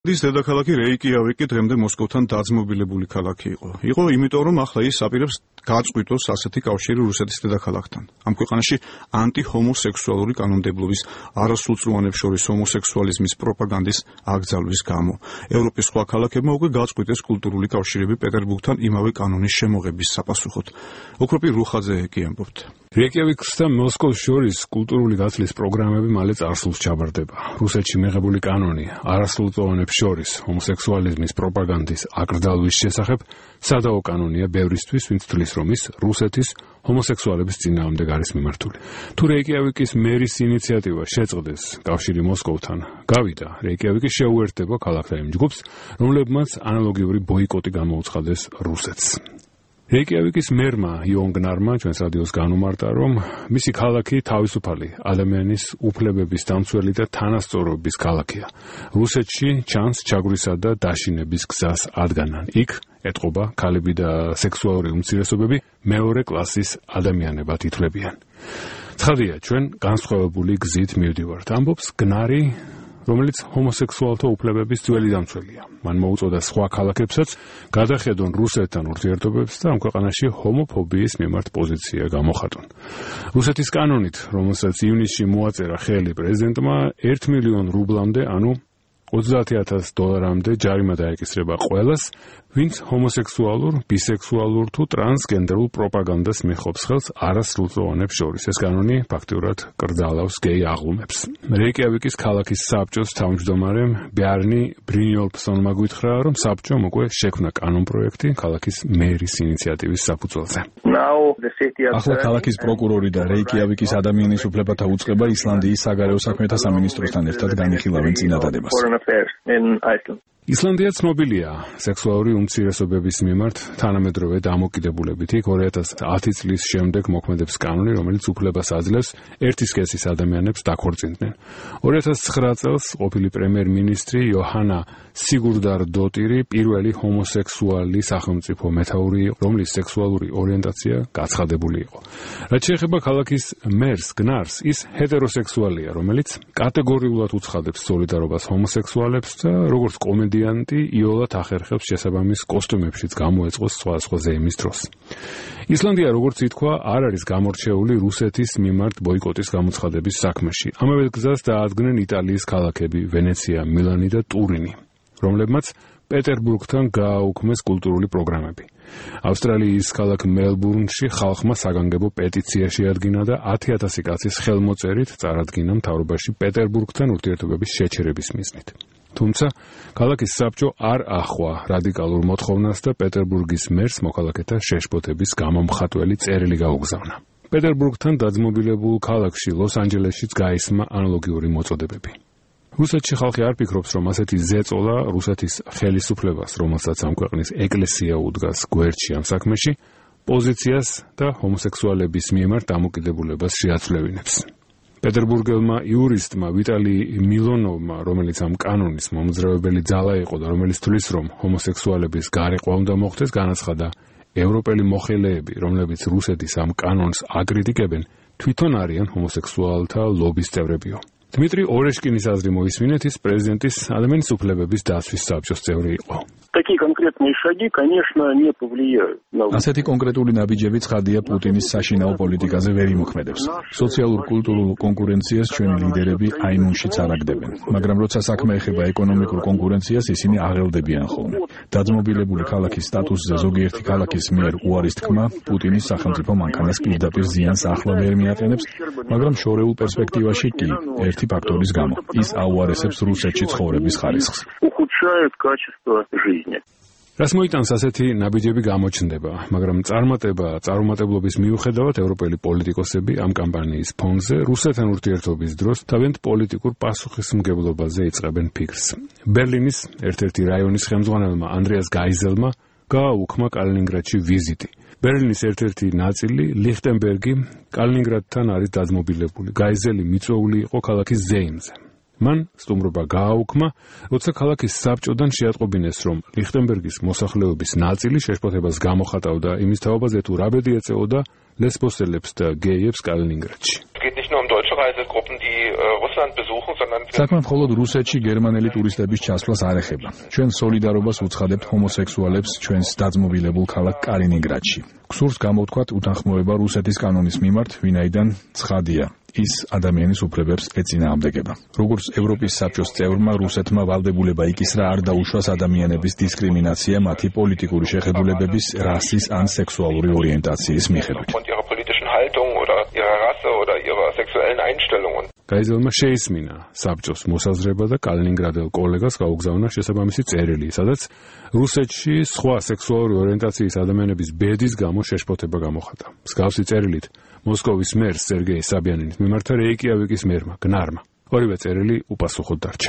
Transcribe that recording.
ის დედაქალაქი რეიკიავიკი დღემდე მოსკოვთან დაძმობილებული ქალაქი იყო. იყო იმიტომ, რომ ახლა ის აპირებს გაწყვიტოს ასეთი კავშირი რუსეთის დედაქალაქთან. ამ ქვეყანაში ანტიჰომოსექსუალური კანონმდებლობის არასრულწლოვანებს შორის ჰომოსექსუალიზმის პროპაგანდის აკრძალვის გამო. ევროპის სხვა ქალაქებმა უკვე გაწყვიტეს კულტურული კავშირები პეტერბურგთან იმავე კანონის შემოღების sapasუხოდ. ოქროპი რუხაძე კი ამბობთ. რეიკიავიკს და მოსკოვს შორის კულტურული გაცვლის პროგრამები მალე წარსულს ჩაბარდება. რუსეთში მიღებული კანონი არასრულწლოვანებს შორის ჰომოსექსუალიზმის პროპაგანდის აკრძალვის შესახებ სადაო კანონია ბევრისთვის, ვინც თვლის, რომ ის რუსეთის ჰომოსექსუალების წინააღმდეგ არის მიმართული. თუ რეიკიავიკის მერის ინიციატივა შეწყდეს კავშირი მოსკოვთან, გავიდა, რეიკიავიკი შეუერთდება ქალაქთა იმ ჯგუფს, რომლებმაც ანალოგიური ბოიკოტი გამოუცხადეს რუსეთს. რეიკიავიკის მერმა იონგნარმა ჩვენს რადიოს განუმარტა, რომ მისი ქალაქი თავისუფალი ადამიანის უფლებების დამცველი და თანასწორობის ქალაქია. რუსეთში ჩანს ჩაგვრისა და დაშინების გზას ადგანან. იქ ეტყობა ქალები და სექსუალური უმცირესობები მეორე კლასის ადამიანებად ითვლებიან. ცხადია, ჩვენ განსხვავებული გზით მივდივართ, ამბობს გნარი, რომელიც ჰომოსექსუალთა უფლებების ძველი დამცველია. მან მოუწოდა სხვა ქალაქებსაც გადახედონ რუსეთთან ურთიერთობებს და ამ ქვეყანაში ჰომოფობიის მიმართ პოზიცია გამოხატონ. რუსეთის კანონით, რომელსაც ივნისში მოაწერა ხელი პრეზიდენტმა, 1 მილიონ რუბლამდე, ანუ $30,000 ჯარიმა დაეკისრება ყველას, ვინც ჰომოსექსუალურ, ბისექსუალურ თუ ტრანსგენდერულ პროპაგანდას მიჰყოფს ხელს არასრულწლოვანებს შორის. ეს კანონი ფაქტიურად კრძალავს გეი აღლუმებს. რეიკიავიკის ქალაქის საბჭოს თავმჯდომარემ ბიარნი ბრინიოლფსონმა გითხრა, რომ საბჭომ უკვე შექმნა კანონპროექტი ქალაქის მერის ინიციატივის საფუძველზე. ახლა ქალაქის პროკურორი და რეიკიავიკის ადამიანის უფლებათა უწყება ისლანდიის საგარეო საქმეთა სამინისტროსთან ერთად განიხილავენ წინადადებას. ისლანდია ცნობილია სექსუალური უმცირესობების მიმართ თანამედროვე დამოკიდებულებით. იქ 2010 წლის შემდეგ მოქმედებს კანონი, რომელიც უფლებას აძლევს ერთი სქესის ადამიანებს დაქორწინდნენ. 2009 წელს ყოფილი პრემიერ-მინისტრი იოჰანა სიგურდარდოტირი პირველი ჰომოსექსუალი სახელმწიფო მეთაური იყო, რომლის სექსუალური ორიენტაცია გაცხადებული იყო. რაც შეეხება ქალაქის მერს გნარს, ის ჰეტეროსექსუალია, რომელიც კატეგორიულად უცხადებს სოლიდარობას ჰომოსექსუალებს და როგორც კომედიანტი იოლად ახერხებს შესაბამის კოსტუმებშიც გამოეწყოს სხვადასხვა ზეიმის დროს. ისლანდია, როგორც ითქვა, არ არის გამორჩეული რუსეთის მიმართ ბოიკოტის გამოცხადების საქმეში. ამავე გზას დაადგნენ იტალიის ქალაქები ვენეცია, მილანი და ტურინი, რომლებმაც პეტერბურგთან გააუქმეს კულტურული პროგრამები. ავსტრალიის ქალაქ მელბურნში ხალხმა საგანგებო პეტიცია შეადგინა და 10,000 კაცის ხელმოწერით წარადგინა მთავრობაში პეტერბურგთან ურთიერთობების შეჩერების მიზნით. თუმცა ქალაქის საბჭო არ ახვა რადიკალურ მოთხოვნას და პეტერბურგის მერს მოქალაქეთა შეშფოთების გამომხატველი წერილი გაუგზავნა. პეტერბურგთან დაძმობილებულ ქალაქში ლოს-ანჯელესშიც გაისმა ანალოგიური მოწოდებები. რუსეთში ხალხი არ ფიქრობს, რომ ასეთი ზეწოლა რუსეთის ხელისუფლებას, რომელსაც ამ ქვეყნის ეკლესია უდგას გვერდში ამ საქმეში, პოზიციას და ჰომოსექსუალების მიმართ დამოკიდებულებას შეაცვლევინებს. პეტერბურგელმა იურისტმა ვიტალი მილონოვმა, რომელიც ამ კანონის მომძრავებელი ძალა იყო და რომელიც თვლის, რომ ჰომოსექსუალების გარეყვა უნდა მოხდეს, განაცხადა, ევროპელი მოხელეები, რომლებიც რუსეთის ამ კანონს აკრიტიკებენ, თვითონ არიან ჰომოსექსუალთა ლობის წევრებიო. დმიტრი ორეშკინის აზრი მოისმინეთ, ის პრეზიდენტის ადამიანის უფლებების დაცვის საბჭოს წევრი იყო. ასეთი კონკრეტული ნაბიჯები ცხადია პუტინის საშინაო პოლიტიკაზე ვერ იმოქმედებს. სოციალურ-კულტურულ კონკურენციას ჩვენი ლიდერები აიმუნშიც არ აგდებენ, მაგრამ როცა საქმე ეხება ეკონომიკურ კონკურენციას, ისინი აღელდებიან ხოლმე. დაძმობილებული ქალაქის სტატუსზე ზოგიერთი ქალაქის მიერ უარის თქმა პუტინის სახელმწიფო მანქანას პირდაპირ ზიანს ახლა ვერ მიაყენებს, მაგრამ შორეულ პერსპექტივაში კი ერთი ფაქტორის გამო ის აუარესებს რუსეთში ცხოვრების ხარისხს. რას მოიტანს ასეთი ნაბიჯები გამოჩნდება, მაგრამ წარუმატებლობის მიუხედავად ევროპელი პოლიტიკოსები ამ კამპანიის ფონზე რუსეთთან ურთიერთობის დროს თავიანთ პოლიტიკურ პასუხისმგებლობაზე იწყებენ ფიქრს. ბერლინის ერთ-ერთი რაიონის ხელმძღვანელმა ანდრეას გაიზელმა გააუქმა კალინინგრადში ვიზიტი. ბერლინის ერთ-ერთი ნაწილი, ლიხტენბერგი, კალინინგრადთან არის დაძმობილებული. გაიზელი მიწვეული იყო ქალაქის ზეიმზე. მან სტუმრობა გააუქმა, როცა ქალაქის საბჭოდან შეატყობინეს, რომ ლიხტენბერგის მოსახლეობის ნაწილი შეშფოთებას გამოხატავდა იმის თაობაზე, თუ რა ბედი ეწეოდა ლესბოსელებს და გეიებს კალინინგრადში. Einreisegruppen, die Russland besuchen, sondern საქმე მხოლოდ რუსეთში გერმანელი ტურისტების ჩასვლას არ ეხება. ჩვენ სოლიდარობას უცხადებთ ჰომოსექსუალებს ჩვენს დაძმობილებულ ქალაქ კალინინგრადში. გსურს გამოვთქვათ უთანხმოება რუსეთის კანონის მიმართ, ვინაიდან ცხადია ის ადამიანის უფლებებს ეწინააღმდეგება. როგორც ევროპის საბჭოს წევრმა, რუსეთმა ვალდებულება იკისრა არ დაუშვას ადამიანების დისკრიმინაცია მათი პოლიტიკური შეხედულებების, რასის ან სექსუალური ორიენტაციის მიხედვით. გაიზელმა შეისმინა საბჭოს მოსაზრება და კალინინგრადელ კოლეგას გაუგზავნა შესაბამისი წერილი, სადაც რუსეთში სხვა სექსუალური ორიენტაციის ადამიანების ბედის გამო შეშფოთება გამოხატა. მსგავსი წერილით მოსკოვის მერს სერგეი საბიანინის მიმართა რეიკიავიკის მერმა, გნარმა. ორივე წერილი უპასუხოდ დარჩა.